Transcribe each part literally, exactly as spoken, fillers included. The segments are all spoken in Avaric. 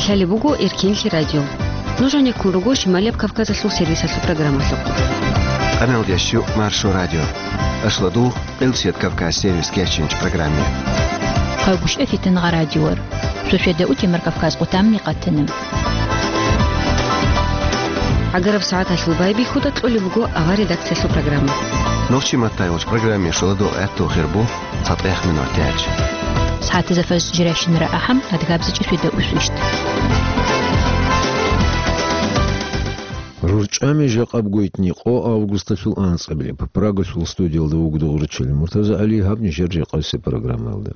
Лъалеб буго Эркенлъи радио. Нуж гьанеккун руго Шималияб Кавказалъул сервисалъул программалъухъ. Къаналдеш Маршо радио. Ашладу, Къилсият Кавказ сервис кечинч программе. Хъагушев Фитингъа радиор. Шошеда утемар Кавказ къутамни къатана. Агараб сагӀаталъул байбихьуда кьолеб буго авар редакциялъул программа. Нохчи маттайвач программе шоладо гӀатту хирбу. ЦатӀех минутач. СагӀатизафас жирашинра ахӀам, адгабзичӀи фида усвищт. РурчӀами жакъаб гойтни къо августалъул анцӀабилеб. Прагалъул студиялда вугдугъричил Муртаза ГӀали, гьаб нижер жакъасе программалда.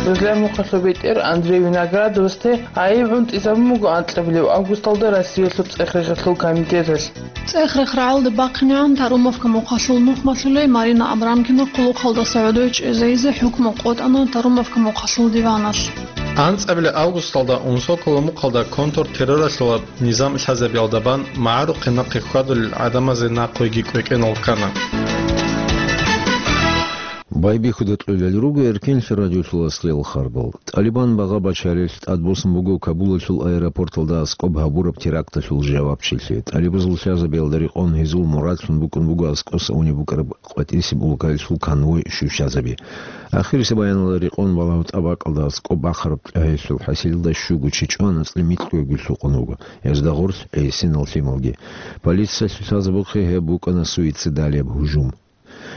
Гъезлъа мухъалъул бетӀер Андрей Виноградовасде гӀайиб гӀунтӀизабун буго анкьабилеб августалда Россиялъул цӀех-рехалъул комитеталъ. ЦӀех-рех рагӀалде бахъинегӀан Тарумовка мухъалъул нухмалъулей Марина Абрамкина хъулухъалдаса гӀодой чӀезейизе хӀукму къотӀана Тарумовка мухъалъул диваналъ. АнцӀабилеб августалда Унсокола мухъалда контртерроралъула низам лъазабиялда бан магӀарухъе нахъе хьвадулел гӀадамазе нахъвеги кӀвекӀенал ккана. Байбихьуда кьолел руго Эркенлъи радиолъул аслиял харбал. ТӀалибан багъа бачарелъ тӀадбуссун буго Кабулалъул аэропорталда аскӀоб гьабураб теракталъул жавабчилъи. ТӀалибазул лъазабиялда рекъон гьезул мурадлъун букӀун буго аскӀоса унеб букӀараб къватӀисеб улкаялъул конвой щущазаби. Ахирисеб баяналда рекъон балагьу тӀабакӀалда аскӀоб бахъараб тӀагьелъул хӀасилалда щуго чи чӀван, анцӀила микьго гуй лъукъун вуго. Гьезда гъорлъ гӀисинал лъималги. Полициялъул лъазабухъе гьеб букӀана суицидалияб гьужум.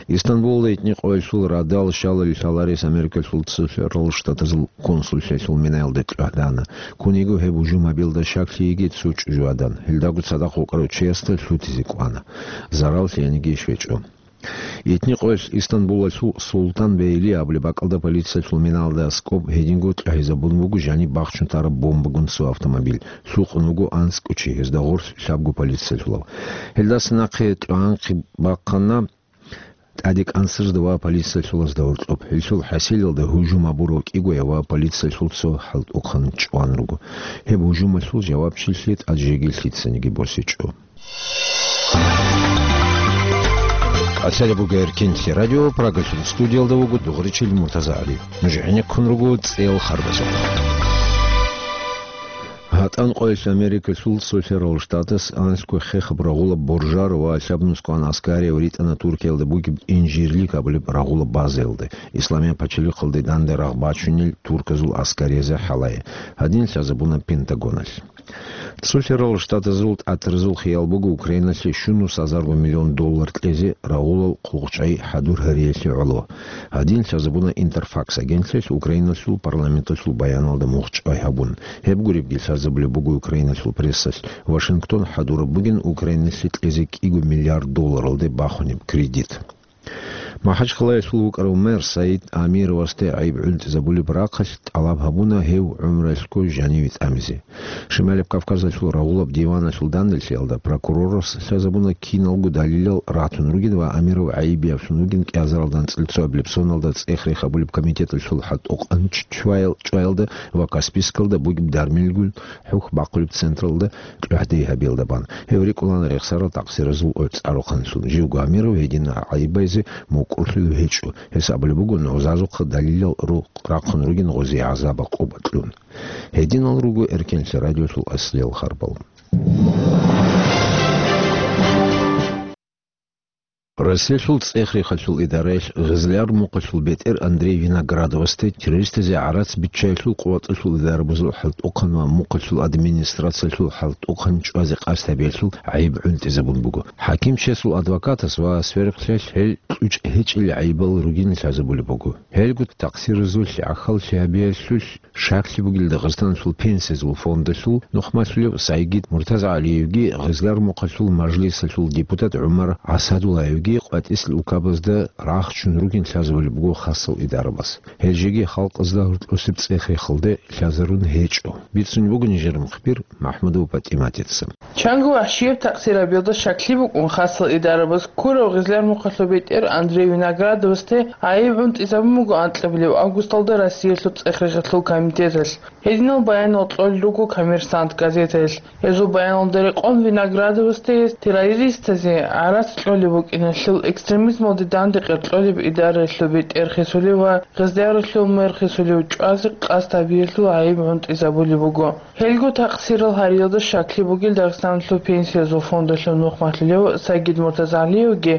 Истанбулалда итни къоялъул радал щалалил лъаларес Америкалъул Цолъарал Штатазул консуллъиялъул минаялда кьвагьдана. Ккун йиго гьеб гьужум гьабиялда щаклъи йигей цо чӀужугӀадан. Гьелдаго цадахъ вукӀарав чиясда лъутизе кӀвана. Зарал лъиениги щвечӀо. Итни къоялъ Истанбулалъул Султан Бейли абулеб бакӀалда полициялъул минаялда аскӀоб гьединго тӀагьизабун буго жаниб бахчун тараб бомбагун цо автомобиль. Лъукъун вуго анцӀго чи, гьезда гъорлъ лъабго полициялъулав. Гьелдаса нахъе тӀагӀанхъи бахъана ТӀаде кӀансарзда ва полициялъулазда гьоркьоб. Гьелъул хӀасилалда гьужум гьабурав кӀигояв ва полициялъул цо хӀалтӀухъан чӀван руго. Гьеб гьужумалъул жавабчилъи тӀад жеги лъицаниги босичӀо. Къацалеб буго Эркенлъи радио, Прагалъул студиялда вуго дугъричил Муртаза ГӀали. Нуж гӀенеккун руго цӀел харбазухъ. ГьатӀан къоялъ Америкалъул Цолъарал Штатас анлъго хехаб рагъулаб боржар ва лъабнусгоан аскарияв ритӀана Туркиялда бугеб Инжирлик абулеб рагъулаб базаялда, Исламияб пачалихъалде данде рагъ бачунел турказул аскариязе хӀалае. Гьадин лъазабуна Пентагоналъ. Цолъарал Штатазул тӀатразул хиял буго Украиналъе щунус гьазарго миллион доллар кьезе рагъулал хъугъчӀай хӀадур гьариялъе гӀоло. Гьадин лъазабуна Интерфакс агентлъиялъ Украиналъул парламенталъул баяналда мухчӀай гьабун. Гьеб гуребги лъазабулеб буго Украиналъул прессалъ. Вашингтон хӀадураб бугин Украиналъе кьезе кӀиго миллиард долларалде бахунеб кредит. МахӀачхъалаялъул вукӀарав мэр Саид Амировасде гӀайиб гӀунтӀизабулеб рахъалъ тӀалаб гьабуна гьев гӀумруялъго жаниве тӀамизе. Шималияб Кавказалъул рагъулаб диваналъул данделъиялда прокурорас лъазабуна киналго далилал ратун ругин ва Амиров гӀайибиявлъун вугин кӀиазаралда анцӀила цоабилеб соналда цӀех-рех абулеб комитеталъул хӀалтӀухъанчӀваял-, чӀваялда ва Каспийскалда бугеб дармилгун хӀухь бахъулеб централда кьвагьде гьабиялда бан. Гьев рикӀкӀуна рехсарал такъсиразул оцӀарухъанлъун. Живго Амиров гьедин гӀайибайзе мукӀурлъулев гьечӀо. Гьес абулеб буго, нугӀзазухъа далилал ру-, рахъун ругин гъозе гӀазаб-гӀакъуба кьун. Гьединал руго Эркенлъи радиолъул аслиял харбал. Россиялъул цӀех-рехалъул идараялъ Гъизлияр мухъалъул бетӀер Андрей Виноградовасде террористазе гӀарац биччаялъул къуватӀалъул идарабазул хӀалтӀухъан ва мухъалъул администрациялъул хӀалтӀухъан чӀвазе къасд гьабиялъул гӀайиб гӀунтӀизабун буго. ХӀакимчиясул адвокатас ва сверухълъиялъ гьел кьучӀ гьечӀел гӀайибал ругин лъазабулеб буго. Гьелго такъсиразулъ гӀахьаллъи гьабиялъулъ щаклъи бугел Дагъистаналъул пенсиязул фондалъул нухмалъулев Сайгид МуртазагӀалиевги Гъизлар мухъалъул мажлисалъул депутат ГӀумар ГӀасадуллаевги къватӀисел улкабазда рахчун ругин лъазабулеб буго хасал идарабаз. Гьел жеги халкъазда гьоркьосеб цӀех-рехалде лъазарун гьечӀо. Бицунеб буго нижер мухбир МахӀмудова ПатӀиматица. Чанго вагьшияб такъсир гьабиялда щаклъи букӀун хасал идарабаз ккурав Гъизлар мухъалъул бетӀер Андрей Виноградовасде гӀайиб гӀунтӀизабун буго анкьабилеб августалда Россиялъул цӀех-рехалъул комитеталъ. Гьединал баянал кьолел руго «Коммерсант» газетаялъ. Гьезул баяналда рекъон Виноградовасде гьез террористазе гӀарац кьолеб букӀиналъ Лъул экстремизмалде данде къеркьолеб идараялъул бетӀер хисулев ва Гъезлияралъул мэр хисулев чӀвазе къасд гьабиялъул гӀайиб гӀунтӀизабулеб буго. Гьелго такъсирал гьариялда щаклъи бугел Дагъистаналъул пенсиязул фондалъул нухмалъулев Сагид Муртазагьлиевги,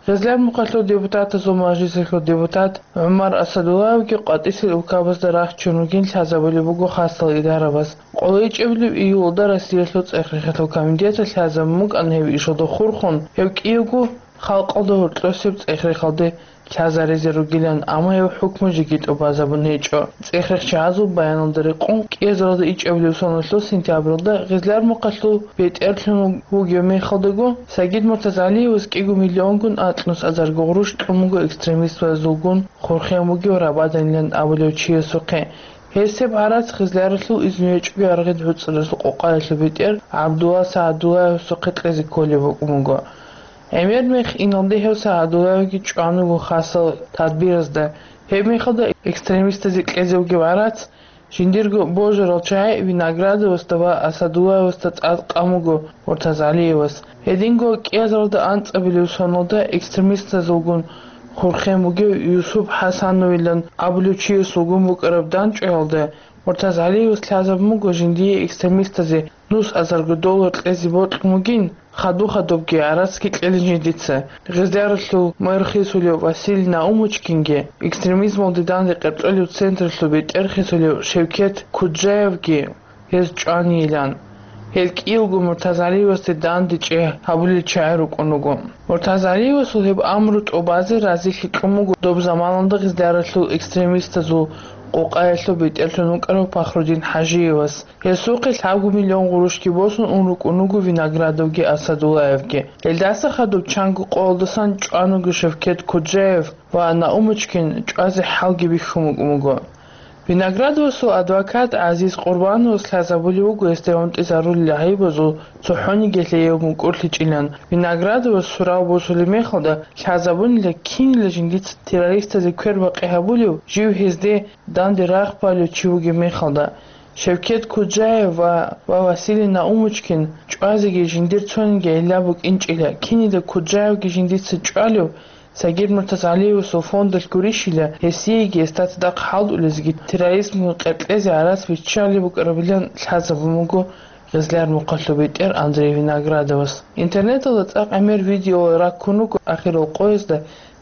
Гъезлияр мухъалъул депутатазул мажлисалъул депутат ГӀумар Асадуллаевги къватӀисел улкабазда рахчун ругин лъазабулеб буго хасал идарабаз. КъолайчӀебилеб июлалда Россиялъул цӀех-рехиялъул комитеталъ лъазабун букӀана гьеб ишалда хурхун, гьев кӀиявго халкъалда гьоркьосеб цӀех-рехалде лъазаризе ругилан, амма гьев хӀукму жеги тӀубазабун гьечӀо. ЦӀех-рехчагӀазул баяналда рекъон, кӀиазаралда ичӀабилеб соналъул сентябралда Гъезлияр мухъалъул бетӀерлъун вугев мехалдаго, Сагид Муртазагьлиевас кӀиго миллионгун анкьнусазарго гъурущ кьун буго экстремистазулгун хурхен вугев Рабаданилан абулев чиясухъе. Гьесеб гӀарац Гъезлияралъул изну гьечӀого аргъид гӀуцӀралъул къокъаялъул бетӀер ГӀабдулла СагӀадуллаевасухъе кьезе кколеб букӀун буго. ГӀемер мех иналде гьев СагӀадуллаевги чӀван вуго хасал тадбиразда. Гьеб мехалда экстремистазе кьезе вугев гӀарац жиндирго божарал чагӀи Виноградовасда ва Асадуллаевасда цӀакъ къан буго Муртазагьлиевас. Гьединго кӀиазаралда анцӀабилеб соналда экстремистазулгун хурхен вугев Юсуп ХӀасановилан абулев чиясулгун букӀараб дандчӀваялда Муртазагьлиевас лъазабун буго жиндие экстремистазе нусазарго доллар кьезе бокьун бугин, хадуб-хадубги гӀарацги кьелин жиндица. Гъезлияралъул мэр хисулев Василий Наумочкинги, экстремизмалде данде къеркьолеб централъул бетӀер хисулев Шевкет Куджаевги гьез чӀванийилан. Гьел кӀиявго Муртазагьлиевасде дандечӀей гьабулел чагӀи рукӀун руго. Муртазагьлиевасул гьеб амру тӀубазе разилъи кьун буго доб заманалда Гъезлияралъул экстремистазул къокъаялъул бетӀерлъун вукӀарав Пахрудин ХӀажиевас. Гьесухъе лъабго миллион гъурущги босун ун рукӀун руго Виноградовги Асадуллаевги. Гьелдаса хадуб чанго къоялдасан чӀван вуго Шевкет Куджаев ва Наумочкин чӀвазе хӀалги бихьун букӀун буго. Виноградовасул адвокат ГӀазиз Къурбановас лъазабулеб буго гьесде гӀунтӀизарулел гӀайибазул цохӀониги лъеяв мукӀурлъичӀилан. Виноградовас сурав босулеб мехалда лъазабунила кинила жиндица террористазе квербакъи гьабулев жив гьезде данде рагъ балев чи вугеб мехалда. Шевкет Куджаев ва, ва Василий Наумочкин чӀвазеги жиндир цониги гӀилла букӀинчӀила, кинила Куджаевги жиндица чӀвалев, Сагид Муртазагьлиевасул фондалъ гурищила, гьесиеги гьесда цадахъ хӀалтӀулезеги терроризмги къеркьезе гӀарац биччалеб букӀарабилан лъазабун буго Гъезлияр мухъалъул бетӀер Андрей Виноградовас. Интернеталда цӀакъ гӀемер видеоял раккун руго ахирал къоязда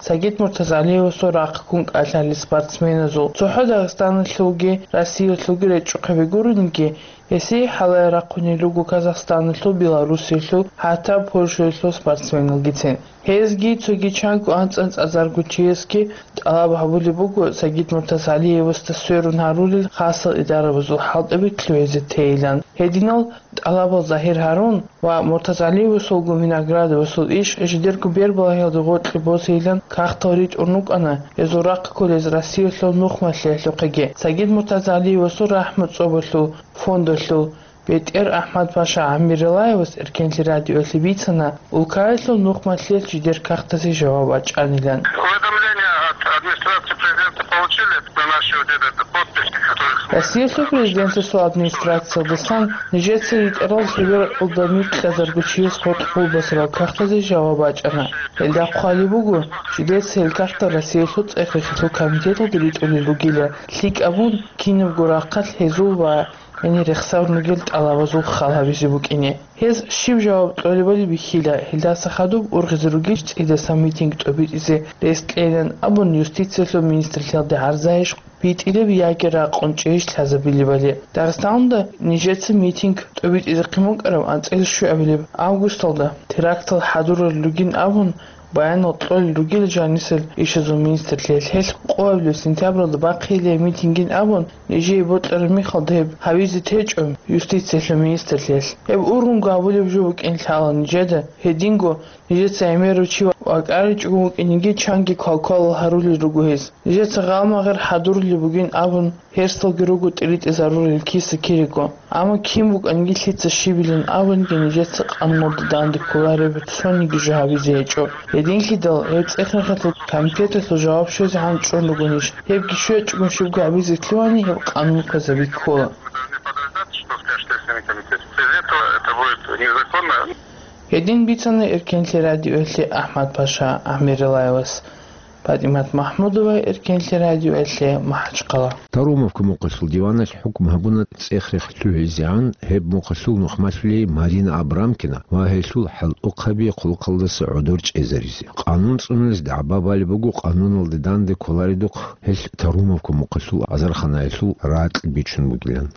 Сагид Муртазагьлиевасул рахъ ккун кӀалъалел спортсменазул. ЦохӀо Дагъистаналъулги Россиялъулги речӀчӀухъе бегуриниги, гьесие хӀалае рахъунел руго Казахстаналъул, Белоруссиялъул, хӀатта Польшаялъул спортсменалгицин. Гьезги цоги чанго анцӀ-анцӀазарго чиясги тӀалаб гьабулеб буго Сагид Муртазагьлиевасда сверун гьарулел хасал идарабазул хӀалтӀаби лъугӀизе тейилан. Гьединал тӀалабал загьир гьарун ва Муртазагьлиевасулгун Виноградовасул иш жидерго бербалагьиялда гъоркье босейилан кагътал ритӀун рукӀана, гьезул рахъ кколез Россиялъул нухмалъиялъухъеги. Сагид Муртазагьлиевасул рахӀму цӀобалъул фондалъул бетӀер АхӀмад-паша ГӀамбиралаевас Эркенлъи радиоялъе бицана, улкаялъул нухмалъиялъ жидер кагътазе жаваб бачӀанилан. Уведомление от администрации президента получили на наши вот этот подписи, которых мы... Россиялъул президентасул администрациялдасан нижеца ритӀарал лъеберкъалда микьазарго чияс гъоркь къулбасарал кагътазе жаваб бачӀана. Гьелда хъвалеб буго, жидеца гьел кагътал Россиялъул цӀех-рехиялъул комитеталде ритӀулел ругила, лъикӀаб бун кинабго рахъалъ гьезул ва гьенир рехсарун ругел тӀалабазул хал гьабизе букӀине. Гьез щиб жаваб кьолебали бихьила, гьелдаса хадуб ургъизе ругищ цӀидасан митинг тӀобитӀизе рес кьейилан абун юстициялъул министрлъиялде гӀарзайищ битӀилеб яги ракъун чӀейищ лъазабилебали. Дагъистаналда нижеца митинг тӀобитӀизехъин букӀараб анцӀила щуабилеб августалда терактал хӀадурулел ругин абун, баянал кьолел ругел жанисел ишазул министрлъиялъ. Гьелъ къоабилеб сентябралда бахъиялъе митингин абун, нижее бокьараб мехалда гьеб гьабизе течӀо юстициялъул министрлъиялъ. Гьеб ургъунго гьабулеб жо букӀин лъала нижеда, гьединго нижеца гӀемерав чи вакӀаричӀого вукӀинеги чанги квалквалал гьарулел руго гьез. Нижеца гъалмагъер хӀадурулеб бугин абун, гьерсалги руго тӀиритӀизарулел киса-кириго. Амма кин букӀаниги, лъица щибилан абунги, нижеца къануналда данде кколареб цониги жо гьабизе гьечӀо. Гьединлъидал гьеб цӀех-рехиялъул комитеталъул жаваб щвезе гьанчӀун ругонищ? Гьебги щвечӀого щибго гьабизе лъугьани, гьеб къанун кквазаби ккола. Без этого это будет незаконно. Гьедин бицана Эркенлъи радиоялъе АхӀмад-паша ГӀамиралаевас. ПатӀимат МахӀмудова, Эркенлъи радиоялъе, МахӀачхъала. Тарумовка мухъалъул диваналъ хӀукму гьабуна цӀех-рех лъугӀизегӀан гьеб мухъалъул нухмалъулей Марина Абрамкина ва гьелъул хӀалтӀухъаби хъулухъалдаса гӀодор чӀезаризе. Къанун цӀунулес дагӀба балеб буго къануналда данде кколаредухъ гьелъ Тарумовка мухъалъул азарханаялъул ракь бичун бугилан.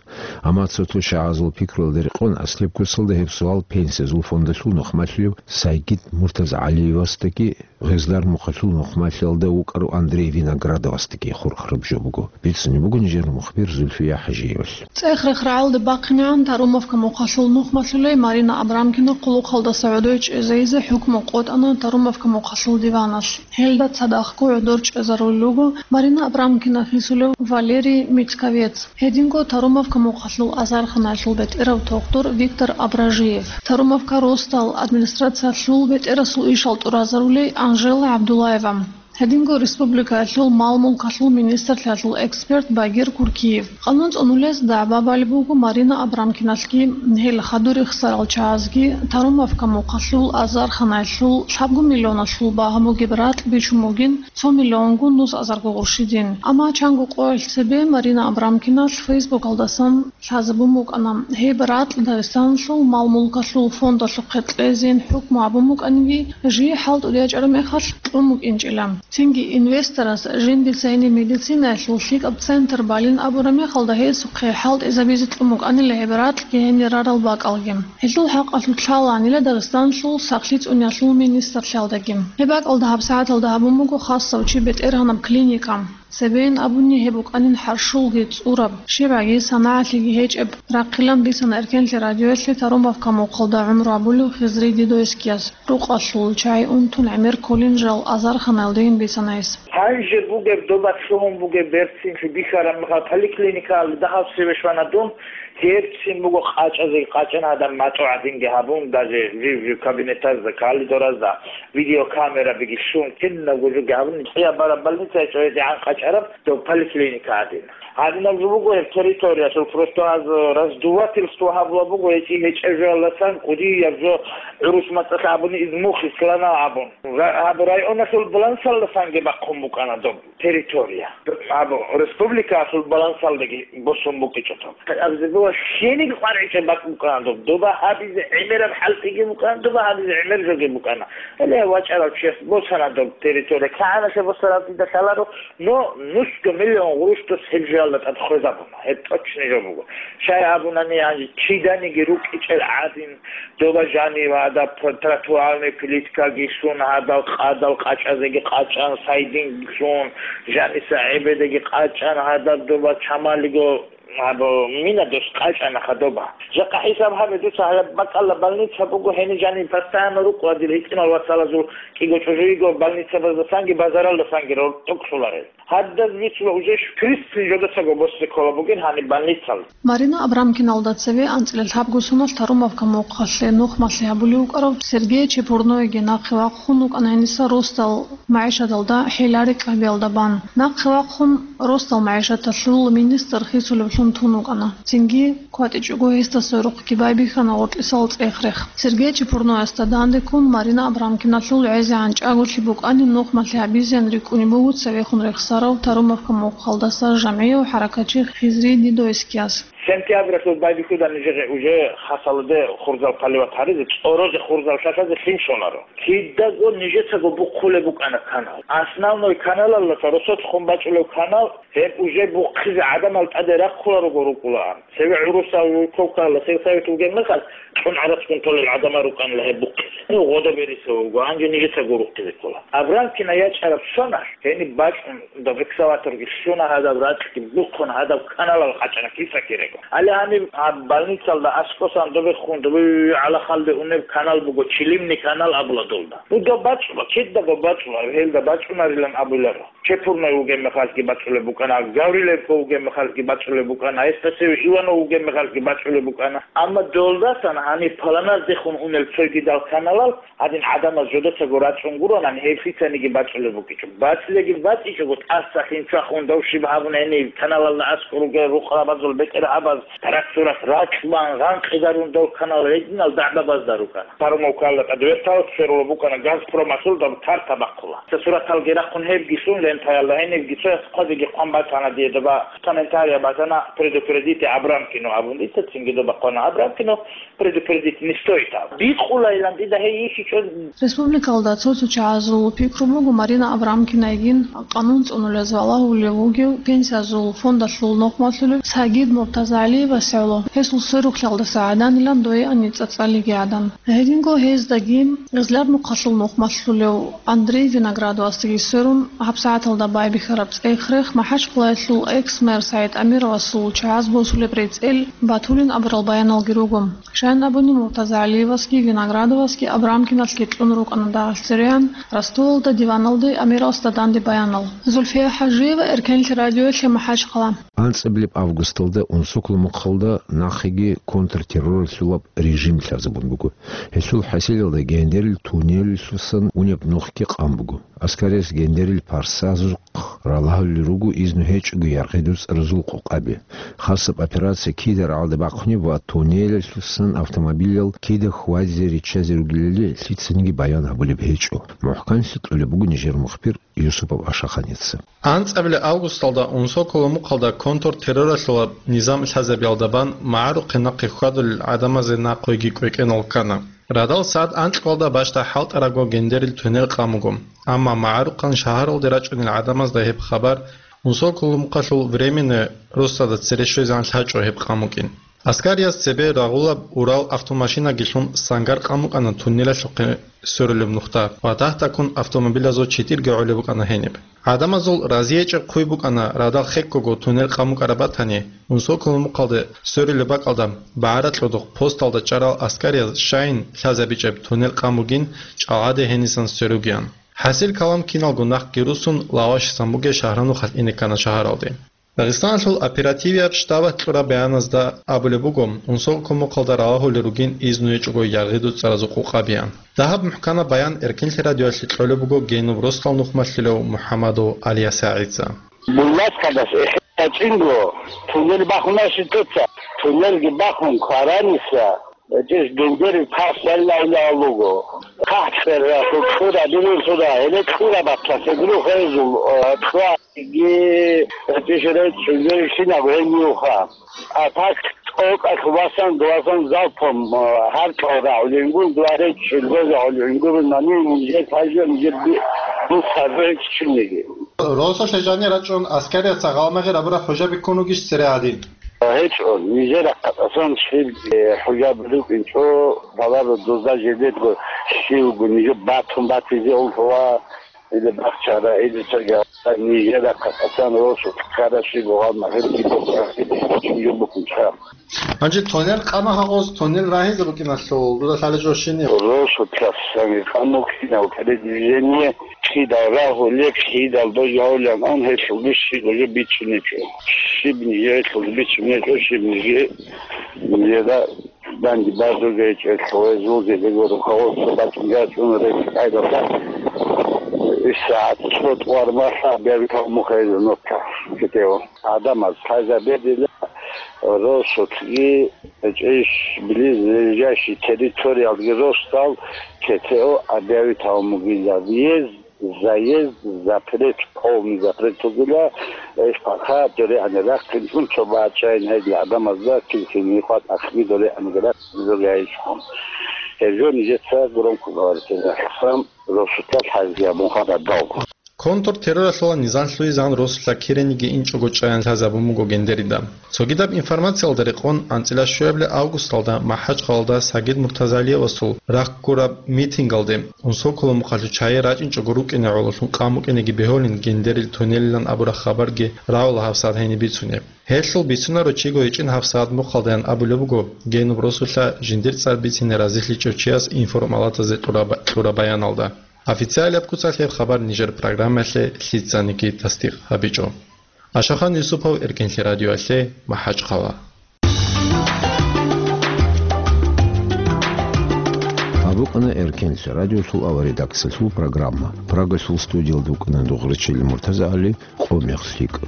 Амма цо-цо шагьазул пикруялда рекъон, аслияб курсалда гьеб суал Пенсиязул фондалъул нухмалъулев Сайгид МуртазагӀалиевасдаги, Гъезлар мухъалъул нухмалъиялда вукӀарав Андрей Виноградовасдаги хурхараб жо буго, бицунеб буго нижер мухбир Зульфия ХӀажиевалъ. ЦӀех-рех рагӀалде бахъинегӀан Тарумовка мухъалъул нухмалъулей Марина Абрамкина хъулухъалдаса гӀодой чӀезайизе хӀукму къотӀана Тарумовка мухъалъул диваналъ. Гьелда цадахъго гӀодор чӀезарулел руго Марина Абрамкина хисулев Валерий Мицковец, гьединго Тарумовка мухъалъул азарханаялъул бетӀерав тухтур Виктор Абражиев, Тарумовка росдал администрациялъул бетӀерасул ишал тӀуразарулей Анжела ГӀабдуллаева, гьединго республикаялъул мал-мулкалъул министрлъиялъул эксперт Багир Куркиев. Къанун цӀунулес дагӀба балеб буго Марина Абрамкиналъги, гьел хадур рехсарал чагӀазги Тарумовка мухъалъул азарханаялъул лъабго миллионалъул багьа бугеб ракь бичун бугин, цо миллионго нус азарго гъурщидин. Амма чанго къоялъ цебе Марина Абрамкиналъ Фейсбукалдасан лъазабун букӀана, гьеб ракь Дагъистаналъул мал-мулкалъул фондалъухъе кьезейин хӀукму гьабун букӀаниги, жий хӀалтӀуда ячӀараб мехалъ кьун букӀинчӀила. Цинги инвесторас жиндица гьениб медицинаялъул лъикӀаб центр балин абураб мехалда гьесухъе хӀалтӀизабизе кьун букӀанила гьеб ракьги гьенир рарал бакӀалги. Гьелъул хӀакъалъулъ лъалаанила Дагъистаналъул сахлъи цӀуниялъул министрлъиялдаги. Гьеб бакӀалда гьабсагӀаталда гьабун буго хасав чи бетӀергьанаб клиника. Цебейин абуни гьеб букӀанин хӀарщулги цӀураб, щибгӀаги санагӀалъиги гьечӀеб, рахъилан бицана Эркенлъи радиоялъе Тарумовка мухъалда гӀумру гьабулев Хизри Дидойскияс. Рукъалъул чагӀи унтун гӀемер кколин жал азарханаялдейин бицана гьес. Гьанже бугеб доба лъугьун бугеб берцинлъи бихьараб мехалъ поликлиникаялда дагьаб цеве щвана дун, гьебцин буго къачӀазе къачӀана гьадаб матӀу гӀадинги гьабун, даже жив-жив кабинетазда, коридоразда видеокамерабиги щун, кинабго жоги гьабун, кӀияб бараб больницаялъ гьедигӀан къачӀараб доб поликлиника гӀадин. Гьадинаб жо буго гьеб территориялъул, просто гьаз раздувательство гьабула буго гьечӀи гьечӀеб жоялдасан кӀудияб жо гӀурус мацӀалъ абуни измухъ ислана абун. Ра-, гьаб районалъул балансалдасанги бахъун букӀана доб территория. Гьаб республикаялъул балансалдаги босун букӀичӀо доб. Абзибула щениг къваригӀичӀеб бакӀ букӀана доб. Доба гьабизе гӀемераб хӀалтӀиги букӀана, доба гьабизе гӀемер жоги букӀана. Гьеле вачӀарав чияс босана доб территория. КигӀаналъе босараб дида лъаларо, но нусго миллион гъурущ дос гьеб жоялда тӀад хвезабуна. Гьеб точно жо буго. Щай абунани, гьанже чиданиги рукӀичӀел гӀадин, доба жанив гьадаб тротуарный плиткаги лъун, гьадал къадал къачӀазеги къачӀан, сайдинги лъун, жаниса гӀебедеги къачӀан, гьадаб доба чамалиго гьаб мина дос къачӀана хадуба. Жакъа хӀисаб гьабе дуца гьаб бакӀалда больница буго, гьениб жаниб постоянно рукъула дир гьитӀинал вацалазул кӀиго чӀужу йиго больницабаздасанги базаралдасанги роркьукълъуларел. Гьадаз бицула уже шукрисцин жодацаго боссе ккола бугин гьаниб больницал. Марина Абрамкиналда цеве анцӀила лъабго соналъ Тарумовка мухъалъе нухмалъи гьабулев вукӀарав Сергей Чепурноеги нахъе вахъун вукӀана гьениса росдал магӀишаталда хӀеларикь гьабиялда бан. Нахъе вахъун росдал магӀишаталъул министр хисулевлъун тун вукӀана. Цинги кватӀичӀого гьесда сверухъги байбихьана гъоркьисал цӀех-рех. Сергей Чепурноясда дандеккун Марина Абрамкиналъул гӀезегӀан чӀаголъи букӀанин нухмалъи гьабизеян рикӀкӀунеб буго цевехун рехсарав Тарумовка мухъалдаса жамгӀияв хӀаракатчи Хизри Дидойскияс. Сентябралъул байбихьуда нижеги уже хасалде хурзал поливать гьаризе, цӀорозе хурзал лъалъазе лъим щоларо. Кидаго нижецаго бухъулеб букӀана канал. Основной каналалдаса росулъ хун бачӀулев канал, гьеб уже бухъизе гӀадамал тӀаде рахъуларого рукӀулаан. Цеве гӀурусал вулковкаялда сельсовет вугеб мехалъ, цӀун гӀарацгун толел гӀадамал рукӀанила гьеб бухъизе. Ну, гъодо берисев вуго, гьанже нижеца гурухъизе ккола. Абрамкина ячӀараб соналъ, гьениб бачӀун, доб экскаваторги лъуна гьадаб ракьги бухъун гьадаб каналал къачӀана киса кирего. Гьале гьаниб гьаб больницалда аскӀосан добехун, добе гӀалахалде унеб канал буго, Чилимный канал абула долда. Ну, доб бачӀула, кидаго бачӀула, гьелда бачӀунарилан абуларо. Чепурной вугеб мехалъги бачӀулеб букӀана, Гавриленко вугеб мехалъги бачӀулеб букӀана, гьесда цеве Иванов вугеб мехалъги бачӀулеб букӀана. Амма долдасан гьаниб планаздехун унел цойгидал каналал гьадин гӀадамаз жодацаго рачӀун гуронани, гьеб лъицаниги бачӀулеб букӀичӀо. БацӀцӀиги бацӀцӀичӀого тӀаса лъимцахун дов щиб гьабуна гьениб каналалда аскӀор ругел рукъабазул бетӀергьаб Тарас-сурас ракьбан гъанкъида рундал канал гьединал дагӀбабазда рукӀана. Тарумовкалда тӀадвертал сверулаб букӀана Газпромалъул доб тарта бахъула. Цо сураталги рахъун гьебги лъун лентаялда, гьенибги цояс хъвазеги хъван батана дие доба, комментария батана: «Предупредите Абрамкину», абун дица цинги доба хъвана: «Абрамкину предупредить не стоит», аб. Бикъулайилан дида гьей йихьичӀо. Республикалда цо-цо чагӀазул пикру буго Марина Абрамкинайгин къанун цӀунулез валагьулев вугев пенсиязул фондалъул нухмалъулев Сагид Муртазагьалиевас гӀоло, гьесул сверухълъалдаса гӀаданилан дойани цӀацӀалиги гӀадан. Гьединго гьездаги Гъезляб нухалъул нухмалъулев Андрей Виноградовасдаги сверун, гьабсагӀаталда байбихьараб цӀех-рех МахӀачкъалаялъул экс-мэр СагӀид Амировасул чагӀаз босулеб рецӀел батулин абурал баяналги руго. Щайин абуни, Муртазагьалиевасги Виноградовасги Абрамкиналъги кьун рукӀана дагъалъ цереян Ростовалда диваналде Амировасда данде баянал. Зульфия ХӀажиева, Эркенлъи радиоялъе, МахӀачкъала. АнцӀабилеб августалда Унсоколо мухъалда нахъеги контртерроралъулаб режим лъазабун буго. Гьелъул хӀасилалда Гендерил туннелалъусан унеб нухги къан буго. Аскариялъ Гендерил парсазухъ ралагьулел руго изну гьечӀого яргъидул цӀаразул къокъаби. Хасаб операция кида рагӀалда бахъунеб ва туннелалъусан автомобилал кида хьвазе риччазе ругелали лъицаниги баян гьабулеб гьечӀо. МухӀканлъи кьолеб буго нижер мухбир Юсупов Ашаханица. АнцӀабилеб августалда Унсоколо мухъалда контртерроралъулаб низам лъазабиялда бан магӀарухъе нахъе хьвадулел гӀадамазе нахъойги кӀвекӀенал ккана. Радал сагӀат анкьалда бащда хӀалтӀарабго Гендерил туннел къан буго, амма магӀарухъан шагьаралде рачӀунел гӀадамазда гьеб хабар Унсоколо мухъалъул Временное Росада цере щвезегӀан лъачӀо гьеб къан букӀин. Аскариялъ цебе рагъулаб Урал автомашинаги лъун сангар къан букӀана туннелалъухъе сверулеб нухда ва дагь-дагьккун автомобилазул читирги гӀолеб букӀана гьениб. ГӀадамазул разиячӀеб хъуй букӀана радал хеккого туннел къан букӀараб батани, Унсоколо мухъалде сверулеб бакӀалда багӀаракьодухъ посталда чӀарал аскариялъ щайин лъазабичӀеб туннел къан бугин чӀалгӀаде гьенисан сверугеян. ХӀасил калам киналго нахъги русун Лавашисан бугеб Шагьранухалъ ине ккана шагьаралде. Дагъистаналъул оперативияб штабалъ кьураб баяназда абулеб буго, Унсоколо мухъалда ралагьулел ругин изну гьечӀого яргъидул цӀаразул къокъабиян. Дагьаб мухӀканаб баян Эркенлъи радиоялъе кьолеб буго Генуб росдал нухмалъулев МухӀамадов ГӀалиясагӀица. Булласкадас эхетачӀинго туннел бахуна щитоца, туннелги бахун квараниса, гьечӀищ Гендерил парсаллайилан луго. КахӀцӀерасул кьура, бирусура, гьеле кьура батлъа, седрухъезул, э, кьва. Ги, гьечӀищ речӀчӀулел щинаб гьениюха. А так тӀокӀалъ васан, васан залпом, э, гьаркьал рагӀулингун, дуа речӀчӀул бозагӀулингун, нани нижер пажа, нижер би-, бусар речӀчӀулниги. Росулъе жанир рачӀун, аскариялъ гъалмагъи рабураб хӀужаби ккун ругищ цере гьадин? ГьечӀо, нижер рахъалъасан щиб, э, хӀужаби рукӀинчӀо, баларо дозда жидедго щивго нижер батун батизе уллъула. Или бахчара, или цоги нижера хъасан росу ккарабщи бугъал магьир кибухъа чуюбухъунчӀа. Гьанже тонер къана гьагъоз, тонер рагьизе букӀиналъул дуда лъалечӀо щинив? Росу ккасан къамукъинав передвижение кидал рагьулеб, кидал дожавлан ан гьелъул бищи дожо бичунечӀо. Щиб нижералъул бичунечӀо, щиб ниже, нижера Данде базуге чӀехӀо, гьезулги дего руководство бачӀунги ачӀун рекъ къайдаса. ИсагӀат цо тӀвармалъа бегьтал мухӀел нутка китев. Адамаз лъазабедила росулъги, чӀейищ близлежащий территориялги росдал КТО объявитал мугила, въезд, заезд, запрет, полный запрет тугила, иш хъаха дорегӀан рахъинчӀун цо бачӀайин гьедила гӀадамазда килхин гьикъат ахги дорегӀан рахъ зуряйчӀун. Гьеб жо нижеца громко говорите, рахъсан росулъа лъазабун хададалго. Контртерроралъула низам лъугӀизегӀан росулъа кириниги инчӀого чӀаян лъазабун буго Гендерида. Цогидаб информациялда рекъон, анцӀила щуябли августалда МахӀачкъалалда Сагид Муртазалиевасул рахъ гураб митингалде Унсоколо мухъалъу чагӀи рачӀинчӀого рукӀине гӀололъун къан букӀинеги бегьулин Гендерил туннелилан абураб хабарги рагӀула гьабсагӀат гьениб бицунеб. Гьелъул бицунаро чиго гьечӀин гьабсагӀат мухъалдаян абулеб буго Генуб росулъа жиндир цӀар бицине разилъичӀев чияс информалатазе кьураба-, кьураб баяналда. Официалияб куцалъ гьеб хабар нижер программаялъе лъицаниги тасдикъ гьабичӀо. Ашахан Юсупов, Эркенлъи радиоялъе, МахӀачкъала. Абукъана Эркенлъи радиолъул аваредакциялъул программа. Прагалъул студиялда вукӀана Дугърачил МуртазагӀали, къо мех лъикӀ.